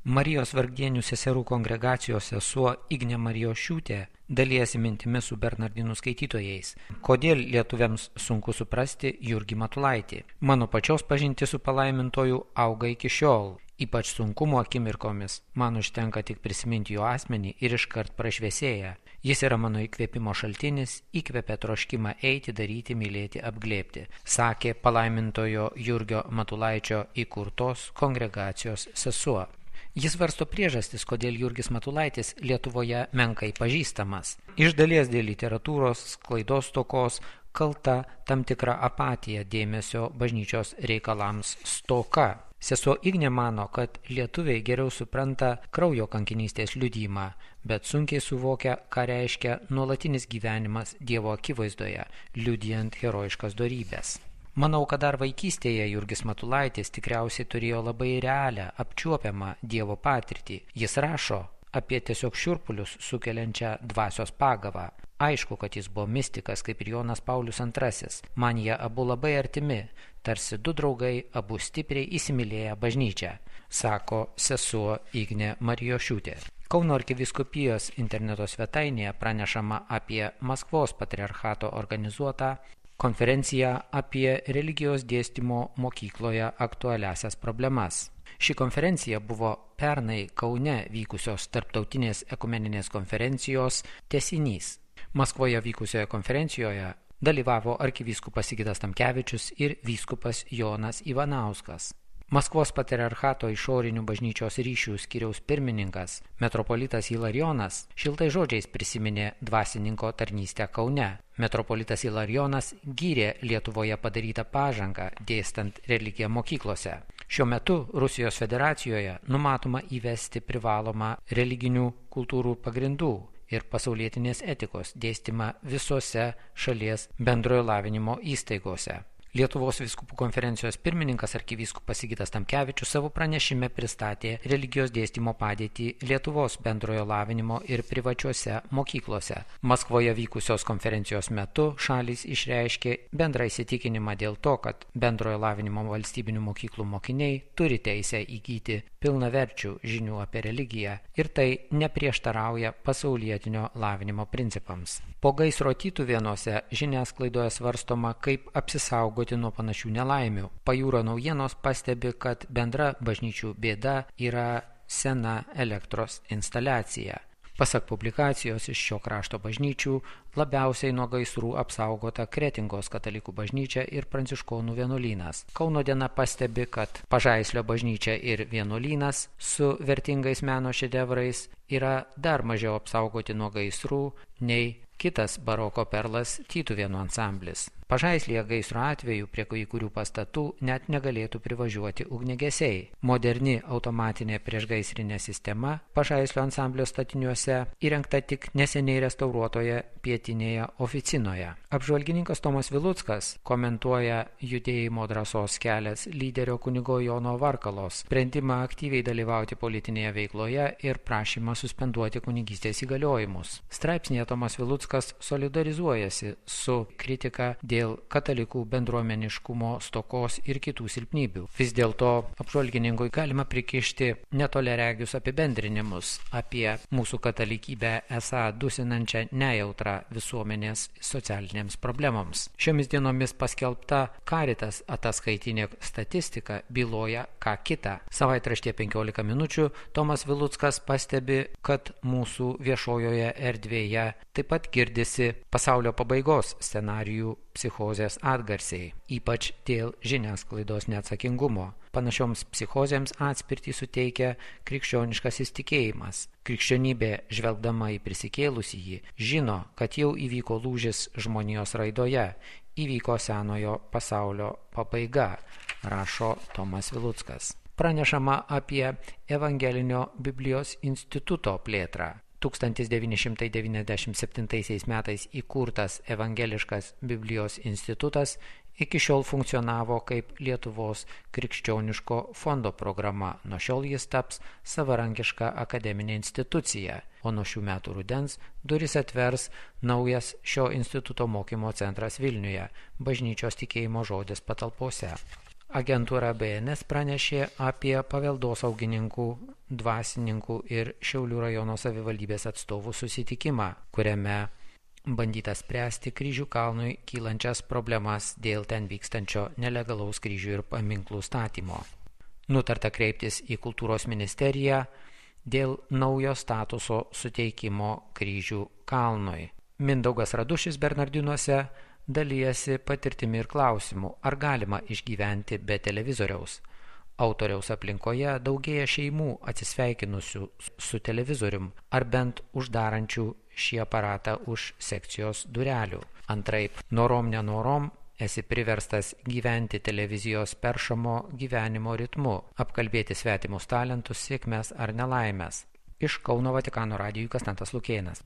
Marijos Vargdienių seserų kongregacijos sesuo Ignė Marijošiūtė dalijasi mintimis su bernardinų skaitytojais. Kodėl lietuviams sunku suprasti Jurgį Matulaitį? Mano pačios pažintis su palaimintoju auga iki šiol. Ypač sunkumo akimirkomis man užtenka tik prisiminti jo asmenį ir iškart prašviesėja. Jis yra mano įkvėpimo šaltinis, įkvėpia troškimą eiti, daryti, mylėti, apglėbti, sakė palaimintojo Jurgio Matulaičio įkurtos kongregacijos sesuo. Jis varsto priežastis, kodėl Jurgis Matulaitis Lietuvoje menkai pažįstamas. Iš dalies dėl literatūros sklaidos stokos kalta tam tikra apatija dėmesio bažnyčios reikalams stoka. Sesuo Ignė mano, kad lietuviai geriau supranta kraujo kankinystės liudijimą, bet sunkiai suvokia, ką reiškia nuolatinis gyvenimas Dievo akivaizdoje, liudijant herojiškas dorybės. Manau, kad dar vaikystėje Jurgis Matulaitis tikriausiai turėjo labai realią, apčiuopiamą Dievo patirtį. Jis rašo apie tiesiog šiurpulius sukeliančią dvasios pagavą. Aišku, kad jis buvo mistikas, kaip ir Jonas Paulius II. Man jie abu labai artimi, tarsi du draugai, abu stipriai įsimylėję bažnyčią, sako sesuo Ignė Marijošiūtė. Kauno arkivyskupijos interneto svetainėje pranešama apie Maskvos patriarchato organizuotą konferenciją apie religijos dėstymo mokykloje aktualiasias problemas. Ši konferencija buvo pernai Kaune vykusios tarptautinės ekumeninės konferencijos tęsinys. Maskvoje vykusioje konferencijoje dalyvavo arkivyskupas Sigitas Tamkevičius ir vyskupas Jonas Ivanauskas. Maskvos patriarchato išorinių bažnyčios ryšių skyriaus pirmininkas metropolitas Ilarijonas šiltai žodžiais prisiminė dvasininko tarnystę Kaune. Metropolitas Ilarijonas gyrė Lietuvoje padarytą pažangą dėstant religiją mokyklose. Šiuo metu Rusijos federacijoje numatoma įvesti privalomą religinių kultūrų pagrindų ir pasaulietinės etikos dėstymą visose šalies bendrojo lavinimo įstaigose. Lietuvos vyskupų konferencijos pirmininkas arkivyskupas Sigitas Tamkevičius savo pranešime pristatė religijos dėstymo padėtį Lietuvos bendrojo lavinimo ir privačiuose mokyklose. Maskvoje vykusios konferencijos metu šalys išreiškė bendrą įsitikinimą dėl to, kad bendrojo lavinimo valstybinių mokyklų mokiniai turi teisę įgyti pilnaverčių žinių apie religiją ir tai neprieštarauja pasaulietinio lavinimo principams. Po gaisro Tytuvėnuose žiniasklaidoje svarstoma, kaip apsisaugoti nuo panašių nelaimių. Pajūrio naujienos pastebi, kad bendra bažnyčių bėda yra sena elektros instaliacija. Pasak publikacijos iš šio krašto bažnyčių, labiausiai nuo gaisrų apsaugota Kretingos katalikų bažnyčia ir pranciškonų vienuolynas. Kauno diena pastebi, kad Pažaislio bažnyčia ir vienuolynas su vertingais meno šedevrais yra dar mažiau apsaugoti nuo gaisrų nei kitas baroko perlas Tytuvėnų ansamblis. Pažaislyje gaisro atveju prie kai kurių pastatų net negalėtų privažiuoti ugniagesiai. Moderni automatinė priešgaisrinė sistema Pažaislio ansamblio statiniuose įrengta tik neseniai restauruotoje pietinėje oficinoje. Apžvalgininkas Tomas Viluckas komentuoja judėjimo drąsos kelias lyderio kunigo Jono Varkalos sprendimą aktyviai dalyvauti politinėje veikloje ir prašymą suspenduoti kunigystės įgaliojimus. Straipsnėje Tomas Viluckas solidarizuojasi su kritika dėl katalikų bendruomeniškumo stokos ir kitų silpnybių. Vis dėlto apžvalgininkui galima prikišti netoleregius apibendrinimus apie mūsų katalikybę esą dusinančią nejautrą visuomenės socialinėms problemoms. Šiomis dienomis paskelbta Caritas ataskaitinė statistika byloja ką kita. Savaitraštyje 15 minučių Tomas Viluckas pastebi, kad mūsų viešojoje erdvėje taip pat girdisi pasaulio pabaigos scenarijų psichozės atgarsiai, ypač dėl žiniasklaidos neatsakingumo. Panašioms psichozėms atspirtį suteikia krikščioniškasis tikėjimas. Krikščionybė, žvelgdama į prisikėlusįjį, žino, kad jau įvyko lūžis žmonijos raidoje, įvyko senojo pasaulio pabaiga, rašo Tomas Viluckas. Pranešama apie Evangelinio Biblijos instituto plėtrą. 1997 metais įkurtas Evangeliškas Biblijos institutas iki šiol funkcionavo kaip Lietuvos krikščioniško fondo programa. Nuo šiol jis taps savarankiška akademinė institucija, o nuo šių metų rudens duris atvers naujas šio instituto mokymo centras Vilniuje, bažnyčios tikėjimo žodis patalpose. Agentūra BNS pranešė apie paveldosaugininkų, dvasininkų ir Šiaulių rajono savivaldybės atstovų susitikimą, kuriame bandyta spręsti Kryžių kalnui kylančias problemas dėl ten vykstančio nelegalaus kryžių ir paminklų statymo. Nutarta kreiptis į Kultūros ministeriją dėl naujo statuso suteikimo Kryžių kalnui. Mindaugas Radušis Bernardinuose dalijasi patirtimi ir klausimu, ar galima išgyventi be televizoriaus. Autoriaus aplinkoje daugėja šeimų atsisveikinusių su televizorium ar bent uždarančių šį aparatą už sekcijos durelių. Antraip, norom nenorom, esi priverstas gyventi televizijos peršamo gyvenimo ritmu, apkalbėti svetimus talentus, sėkmes ar nelaimės. Iš Kauno Vatikano radijui Konstantas Lukėnas.